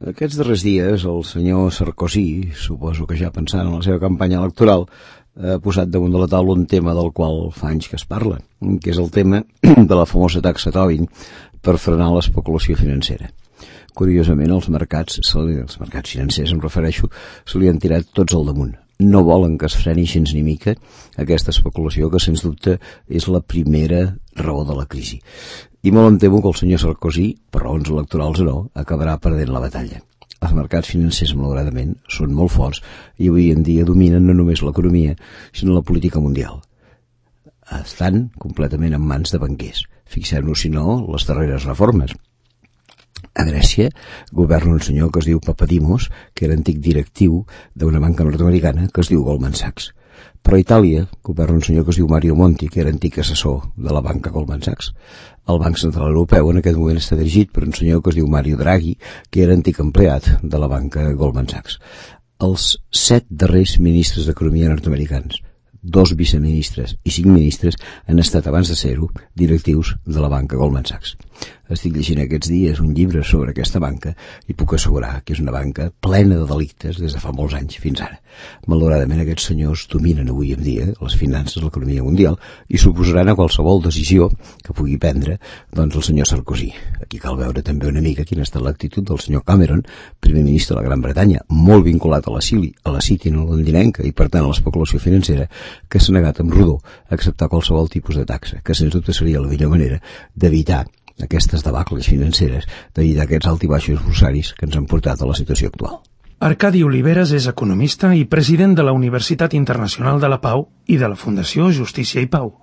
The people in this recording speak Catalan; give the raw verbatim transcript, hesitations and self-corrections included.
Aquests darrers dies el senyor Sarkozy, suposo que ja pensant en la seva campanya electoral, ha posat damunt de la taula un tema del qual fa anys que es parla, que és el tema de la famosa taxa Tobin per frenar l'especulació financera. Curiosament, els mercats, els mercats financers, em refereixo, se li han tirat tots al damunt. No volen que es freni gens ni mica aquesta especulació, que sens dubte és la primera raó de la crisi. I molt em temo que el senyor Sarkozy, per raons electorals o no, acabarà perdent la batalla. Els mercats financers, malauradament, són molt forts i avui en dia dominen no només l'economia, sinó la política mundial. Estan completament en mans de banquers. Fixem-nos, si no, les darreres reformes. A Grècia governa un senyor que es diu Papadimos, que era antic directiu d'una banca nord-americana que es diu Goldman Sachs. Però a Itàlia governa un senyor que es diu Mario Monti, que era antic assessor de la banca Goldman Sachs. El Banc Central Europeu en aquest moment està dirigit per un senyor que es diu Mario Draghi, que era antic empleat de la banca Goldman Sachs. Els set darrers ministres d'Economia nord-americans, dos viceministres i cinc ministres, han estat abans de ser-ho directius de la banca Goldman Sachs. Estic llegint aquests dies un llibre sobre aquesta banca i puc assegurar que és una banca plena de delictes des de fa molts anys fins ara. Malauradament aquests senyors dominen avui en dia les finances de l'economia mundial i s'oposaran a qualsevol decisió que pugui prendre doncs el senyor Sarkozy. Aquí cal veure també una mica quina ha estat l'actitud del senyor Cameron, primer ministre de la Gran Bretanya, molt vinculat a la Cili, a la City londinenca i per tant a l'especulació financera, que s'ha negat amb rodó a acceptar qualsevol tipus de taxa, que sens dubte seria la millor manera d'evitar aquestes debacles financeres, d'evitar aquests altibaixos bursaris que ens han portat a la situació actual. Arcadi Oliveres és economista i president de la Universitat Internacional de la Pau i de la Fundació Justícia i Pau.